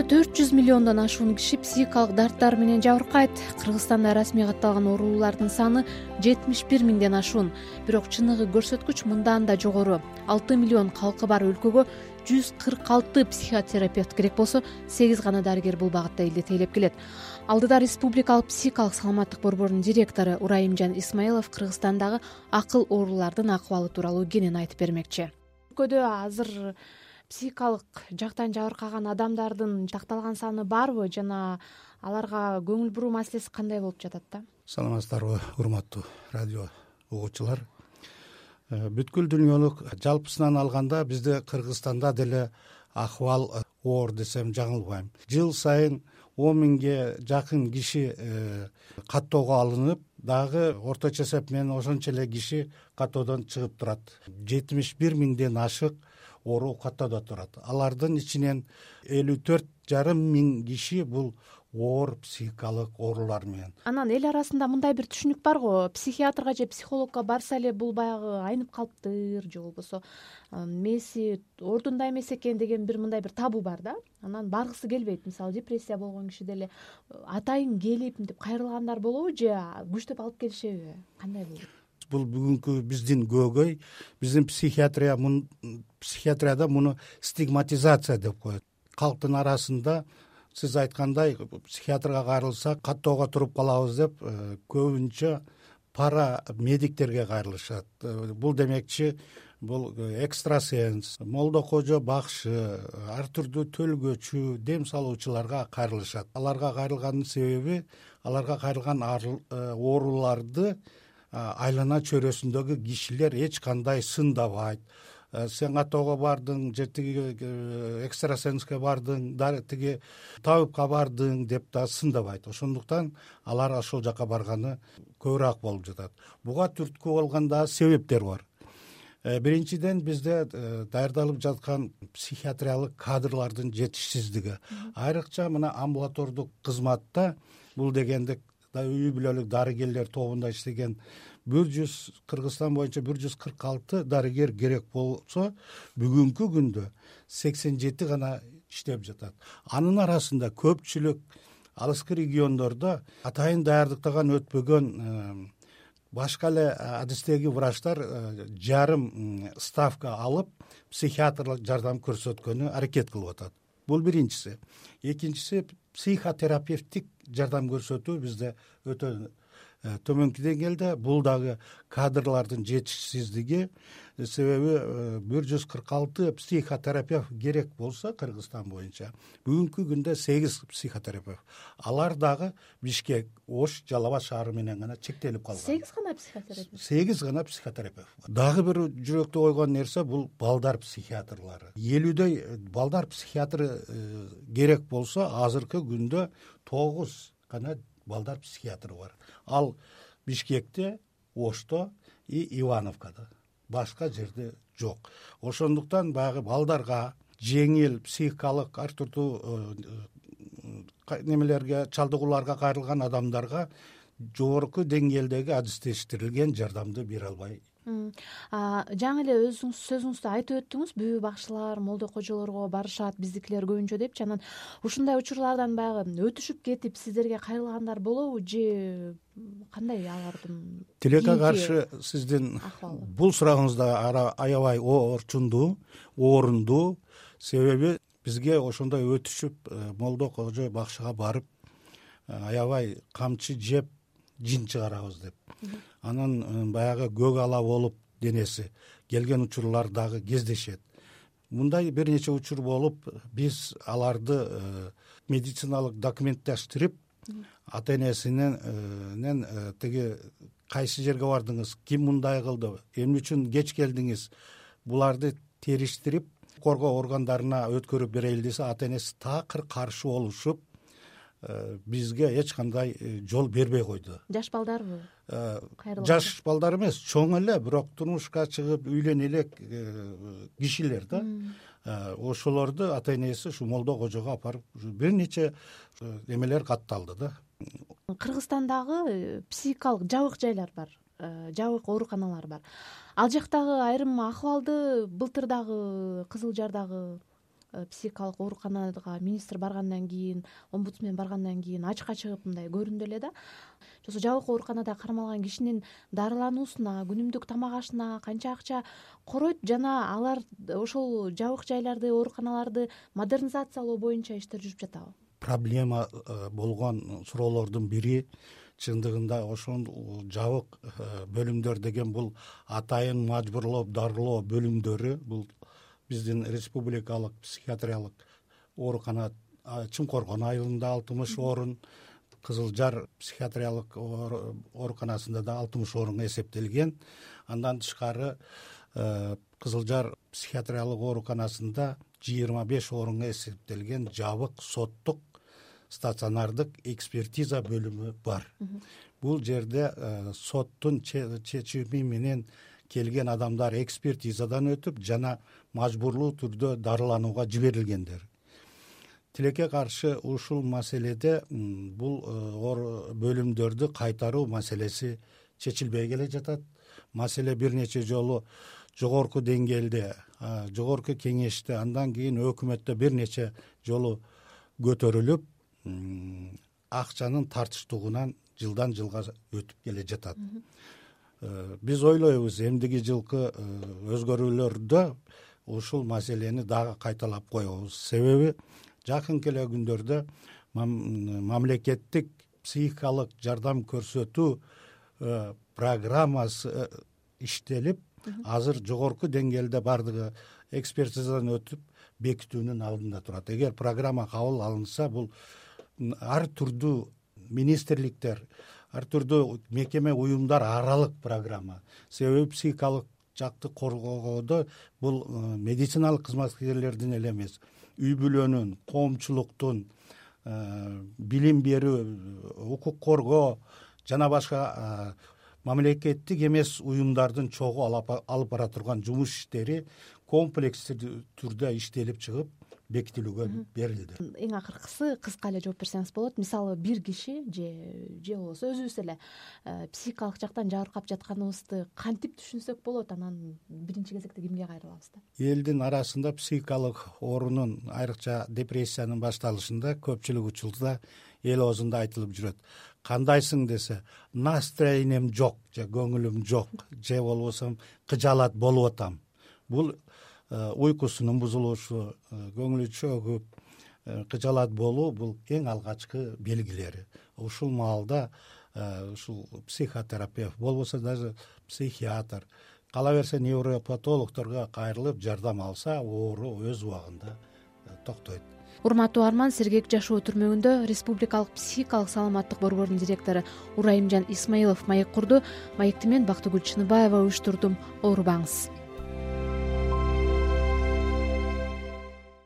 400 миллиондон ашуун киши психикалык дарттар менен жабыркайт. Кыргызстанда расмий катталган оорулардын саны 71 миңден ашуун. Бирок чыныгы көрсөткүч мындан да жогору. 6 миллион калкы бар өлкөгө 146 психотерапевт керек болсо, 8 гана дарыгер бул багытта элди тейлеп келет. Алдыда Республикалык психикалык саламаттык борборунун директору Урайымжан Исмаилов Кыргызстандагы акыл оорулардын акыбалы тууралуу кенен айтып бермекчи. Өлкөдө азыр психикалык жактан жабыркаган адамдардын такталган саны барбы жана аларга көңүл буруу маселеси кандай болуп жатат да? Саламатсыздарбы, урматтуу радио угуучулар. Бүткүл дүйнөлүк жалпысынан алганда бизде Кыргызстанда деле акыбал оор десем жаңылбайм. Жыл сайын 10 миңге жакын киши каттоого алынып, дагы орточо эсеп менен ошончо эле киши каттоодон чыгып турат. 71 миңден ашык оору каттоодо турат. Алардын ичинен 54,5 миң киши бул оор психикалык оорулар менен. Анан эл арасында мындай бир түшүнүк бар го, психиатрга же психологко барса эле бул баягы айнып калыптыр, же болбосо мээси ордунда эмес экен деген мындай бир табу бар да. Анан баргысы келбейт. Мисалы депрессия болгон киши деле атайын келип мынтип кайрылгандар болобу же күчтөп алып келишеби? Кандай болот? Бул бүгүнкү биздин көөгөй, биздин психиатрияда муну стигматизация деп коет. Калктын арасында сиз айткандай психиатрга кайрылсак каттоого туруп калабыз деп көбүнчө пара медиктерге кайрылышат. Бул демекчи бул экстрасенс, молдокожо бакшы, ар түрдүү төлгөчү, дем салуучуларга кайрылышат. Аларга кайрылганын себеби аларга кайрылган ооруларды айлана чөйрөсүндөгү кишилер эч кандай сындабайт. Сен каттоого бардың, же тиги экстрасенске бардың, тиги табипка бардың деп да сындабайт. Ошондуктан алар ошол жака барганы көбүрөөк болуп жатат. Буга түрткү болгон да себептер бар. Биринчиден бизде даярдалып жаткан психиатриялык кадрлардын жетишсиздиги. Айрыкча мына амбулатордук кызматта бул дегенде үй бүлөлүк дарыгерлер тобунда иштеген Кыргызстан боюнча 146 дарыгер керек болсо, бүгүнкү күндө 87 гана иштеп жатат. Анын арасында көпчүлүк алыскы региондордо атайын даярдыктан өтпөгөн башка эле адистеги врачтар жарым ставка алып психиатрлык жардам көрсөткөнү аракет кылып атат. Бул биринчиси. Экинчиси, психотерапевтик жардам көрсөтүү бизде өтө төмөнкү деңгээлде. Бул дагы кадрлардын жетишсиздиги, себеби 146 психотерапевт керек болсо Кыргызстан боюнча бүгүнкү күндө 8 психотерапевт. Алар дагы Бишкек, Ош, Жалал Абад шаары менен гана чектелип калган. 8 гана психотерапевт. 8 гана психотерапевт. Дагы бир жүрөктү койгон нерсе бул балдар психиатрлары. 50дөй балдар психиатры керек болсо, азыркы күндө 9 гана балдар психиатры бар. Ал Бишкекте, Ошто и Ивановкада. Башка жерде жок. Ошондуктан баягы балдарга жеңил психикалык ар түрдүү немелерге, чалдыгууларга кайрылган адамдарга жогорку деңгээлдеги адистештирилген жардамды бере албай. Жаңы эле өзүңүз сөзүңүздө айтып өттүңүз, бүбү бакшылар, молдокожолорго барышат, биздикилер көбүнчө депчи. Анан ушундай учурлардан баягы өтүшүп кетип сиздерге кайрылгандар болобу же кандай алардын? Тилекке каршы сиздин бул сурагыңыз да аябай орчундуу, орунду. Себеби бизге ошондой өтүшүп молдокожо бакшыга барып аябай камчы жеп жин чыгарабыз деп. Анан баягы көк ала болуп денеси келген учурлар дагы кездешет. Мындай бир нече учур болуп, биз аларды медициналык документтештирип, ата-энесинен тиги кайсы жерге бардыңыз, ким мындай кылды, эмне үчүн кеч келдиңиз, буларды териштирип, коргоо органдарына өткөрүп берели десе, ата-энеси такыр каршы болушуп, бизге эч кандай жол бербей койду. Жаш балдарбы? Жаш балдар эмес, чоң эле, бирок турмушка чыгып үйлөнө элек кишилер да. Ошолорду ата-энеси ушу молдокожого апарып бир нече эмелер катталды да. Кыргызстандагы психикалык жабык жайлар бар, жабык ооруканалар бар. Ал жактагы айрым акыбалды былтыр дагы Кызыл Жардагы психикалык ооруканага министр баргандан кийин, омбудсмен баргандан кийин ачыкка чыгып мындай көрүндү эле да. Ошо жабык ооруканада кармалган кишинин дарылануусуна, күнүмдүк тамак ашына канча акча коройт жана алар ошол жабык жайларды, ооруканаларды модернизациялоо боюнча иштер жүрүп жатабы? Проблема болгон суроолордун бири чындыгында ошол жабык бөлүмдөр деген бул атайын мажбурлоп дарылоо бөлүмдөрү. Бул биздин республикалык психиатриялык оорукана Чуңкоргон айылында 60 орун, Кызыл Жар психиатриялык ооруканасында да 60 орун эсептелген. Андан тышкары Кызыл Жар психиатриялык ооруканасында 25 орунга эсептелген жабык соттук стационардык экспертиза бөлүмү бар. Бул жерде соттун чечими менен келген адамдар экспертизадан өтүп жана мажбурлуу түрдө дарыланууга жиберилгендер. Тилекке каршы ушул маселеде бул бөлүмдөрдү кайтаруу маселеси чечилбей келе жатат. Маселе бир нече жолу жогорку деңгээлде, жогорку кеңеште, андан кийин өкмөттө бир нече жолу көтөрүлүп, акчанын тартыштугунан жылдан жылга өтүп келе жатат. Биз ойлойбуз эмдиги жылкы өзгөрүүлөрдө ушул маселени дагы кайталап коебуз. Себеби жакынкы эле күндөрдө мамлекеттик психикалык жардам көрсөтүү программасы иштелип, азыр жогорку деңгээлде бардыгы экспертизадан өтүп бекитүүнүн алдында турат. Эгер программа кабыл алынса, бул ар түрдүү министрликтер, ар түрдүү мекеме уюмдар аралык программа. Себеби психикалык жакты коргоодо бул медициналык кызматкерлердин эле эмес, үй бүлөнүн, коомчулуктун, билим берүү, укук коргоо жана башка мамлекеттик эмес уюмдардын чогуу алып бара турган жумуш иштери комплекстүү түрдө иштелип чыгып бекитилүүгө берилди. Эң акыркысы кыска эле жооп берсеңиз болот. Мисалы бир киши же болбосо өзүбүз эле психикалык жактан жабыркап жатканыбызды кантип түшүнсөк болот? Анан биринчи кезекте кимге кайрылабыз да? Элдин арасында психикалык оорунун, айрыкча депрессиянын башталышында көпчүлүк учурда эл оозунда айтылып жүрөт. Кандайсың десе, настроением жок, же көңүлүм жок, же болбосо кыжаалат болуп атам. Бул уйкусунун бузулушу, көңүлү чөгүп, кыжаалат болуу бул эң алгачкы белгилери. Ушул маалда ушул психотерапевт болбосо даже психиатр, кала берсе невропатологдорго кайрылып жардам алса, оору өз убагында токтойт. Урматтуу Арман, Сергек жашоо түрмөгүндө Республикалык психикалык саламаттык борборунун директору Урайымжан Исмаилов маек курду. Маекти мен Бактыгүл Чыныбаева уюштурдум. Оорубаңыз.